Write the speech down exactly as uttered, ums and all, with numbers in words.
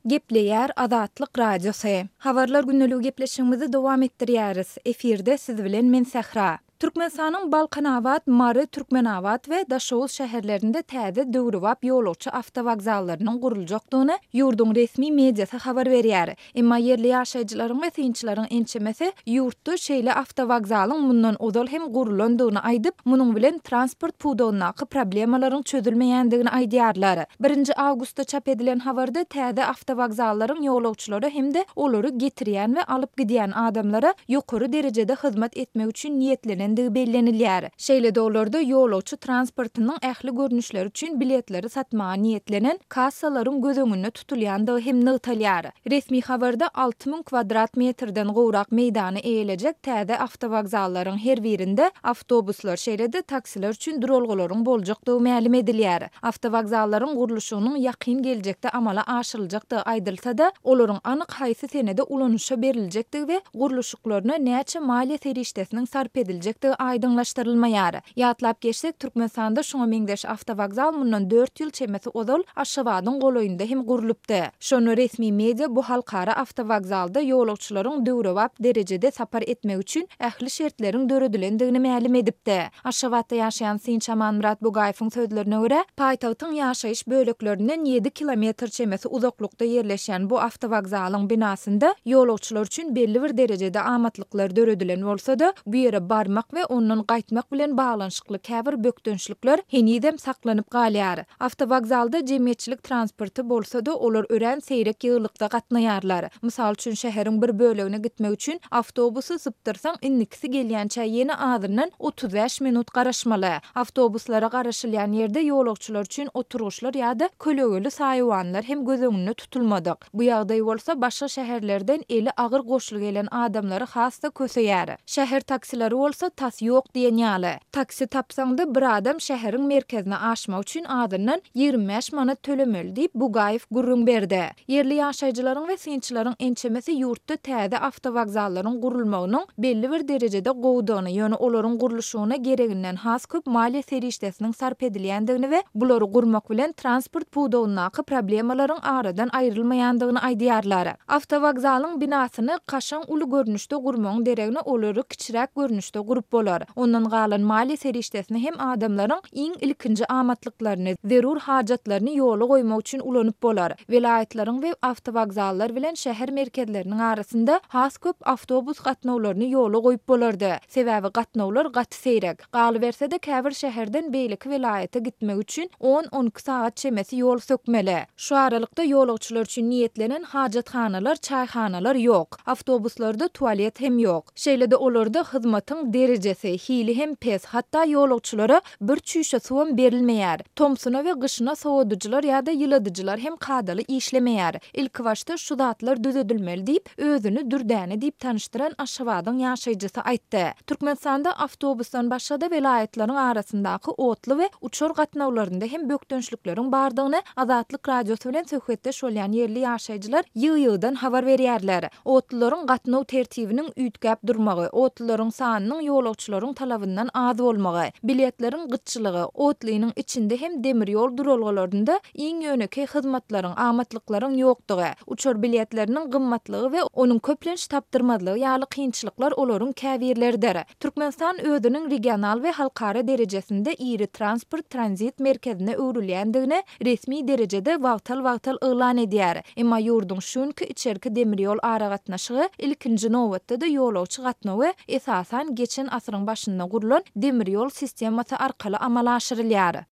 Gepleýär Azatlyk Radiosy. Habarlar gündeligi gepleşigimizi dowam etdirýäris. Efirde siz bilen men Sähra. Türkmenistanyň Balkanabat, Mary, Türkmenabat we Daşoguz şäherlerinde täze döwrebap ýolagçy awtowokzallarynyň guruljakdygyny ýurduň resmi mediasy habar berýär. Emma ýerli ýaşaýjylaryň we synçylaryň ençemesi ýurtda şeýle awtowokzalyň mundan ozal hem gurulandygyny aýdyp, munuň bilen transport pudagyndaky problemalaryň çözülmeýändigini aýdýarlar. Birinji awgustda çap edilen habarda täze awtowokzallaryň ýolagçylara hem-de olary getirýän we alyp gidýän adamlara ýokary derejede hyzmat etmek üçin niýetlenendigi bellenilýär. Şeýle-de olarda ýolagçy transportynyň ähli görnüşleri üçin biletleri satmaga niýetlenen kassalaryň göz öňünde tutulýandygy hem nygtalýar. Resmi habarda alty müň kwadrat metrden gowrak meýdany eýelejek täze awtowokzallaryň her birinde awtobuslar, şeýle-de taksiler üçin duralgalaryň boljakdygy mälim edilýär. Awtowokzallaryň gurluşygynyň ýakyn geljekde amala aşyryljakdygy aýdylsa-da, olaryň anyk haýsy senede ulanyşa beriljekdigi we gurluşyklaryna näçe maliýe serişdesiniň sarp ediljekdigi aýdyňlaşdyrylmaýar. Ýatlap geçsek, Türkmenistanda şuňa meňzeş awtowokzal mundan dört ýyl çemesi ozal Aşgabadyň golaýynda hem gurlupdy. Şonda resmi media bu halkara awtowokzalda ýolagçylaryň döwrebap derejede sapar etmegi üçin ähli şertleriň döredilendigini mälim edipdi. Aşgabatda ýaşaýan synçy Amanmyrat Bugaýewiň sözlerine görä, paýtagtyň ýaşaýyş böleklerinden ýedi kilometr çemesi uzaklykda ýerleşýän bu awtowokzalyň binasynda ýolagçylar üçin belli bir derejede amatlyklar döredilen bolsa-da, bu ýere barmak we ondan gaýtmak bilen baglanyşykly käbir bökdençlikler henizem saklanyp galýar. Awtowokzalda jemgyýetçilik transporty bolsa-da, olar örän seýrek ýygylykda gatnaýarlar. Mysal üçin, şäheriň bir bölegine gitmek üçin awtobusy sypdyrsaň, indikisi gelýänçä ýene azyndan otuz bäş minut garaşmaly. Awtobuslara garaşylýan ýerde ýolagçylar üçin oturgyçlar ýa-da kölegeli saýawanlar hem göz öňünde tutulmadyk. Bu ýagdaý bolsa başga şäherlerden eli agyr goşly gelen adamlary has-da köseýär. Şäher taksileri bolsa tas ýok diýen ýaly. Taksi tapsaň-da bir adam şäheriň merkezine aşmak üçin azyndan ýigrimi bäş manat tölemeli diýip, Bugaýew gürrüň berdi. Ýerli ýaşaýjylaryň we synçylaryň ençemesi ýurtda täze awtowokzallaryň gurulmagynyň belli bir derejede gowudygyny, ýöne olaryň gurluşygyna gereginden has köp maliýe serişdesiniň sarp edilýändigini we bulary gurmak bilen transport pudagyndaky problemalaryň aradan aýrylmaýandygyny aýdýarlar. Awtowokzalyň binasyny kaşaň uly görnüşde gurmagyň deregine olary kiçiräk görnüşde gurup bolar. Ondan galan maliýe serişdesini hem adamlaryň iň ilkinji amatlyklaryny, zerur hajatlaryny ýola goýmak üçin ulanyp bolar. Welaýatlaryň we awtowokzallar bilen şäher merkezleriniň arasynda has köp awtobus gatnawlaryny ýola goýup bolardy. Sebäbi gatnawlar gaty seýrek. Galyberse-de käbir şäherden beýleki welaýata gitmek üçin on-on iki sagat çemesi ýol sökmeli. Şu aralykda ýolagçylar üçin niýetlenen hajathanalar, çaýhanalar ýok. Awtobuslarda tualet hem ýok. Şeýle-de olarda hyzmatyň derejesi, hili hem pes, hatda ýolagçylara bir çüýşe suwam berilmeýär. Tomsuna we gyşyna sowadyjylar ýa-da ýyladyjylar hem kadaly işlemeýär. Ilkibaşda şu zatlar düzedilmeli diýip, özüni Dürdäne diýip tanyşdyran Aşgabadyň ýaşaýjysy aýtdy. Türkmenistanda awtobusdan başga-da welaýatlaryň arasyndaky otly we uçar gatnawlarynda hem bökdençlikleriň bardygyny Azatlyk Radiosy bilen söhbetdeş bolýan ýerli ýaşaýjylar ýygy-ýygydan habar berýärler. Otlylaryň gatnaw tertibiniň üýtgäp durmagy, otlylaryň sanynyň ýolagçylaryň talabyndan az bolmagy, biletleriň gytçylygy, otlynyň içinde hem demir ýol duralgalarynda iň ýönekeý hyzmatlaryň, amatlyklaryň ýokdugy, uçar biletleriniň gymmatlygy we onuň köplenç tapdyrmazlygy ýaly kynçylyklar olaryň käbirleridir. Türkmenistan özüniň regional we halkara derejesinde iri transport-tranzit merkezine öwrülýändigini resmi derejede wagtal-wagtal yglan edýär. Emma ýurduň şu günki içerki demir ýol aragatnaşygy ilkinji nobatda-da ýolagçy gatnawy esasan geçen asyryň başynda gurlan demir ýol sistemasy arkaly amala aşyrylýar.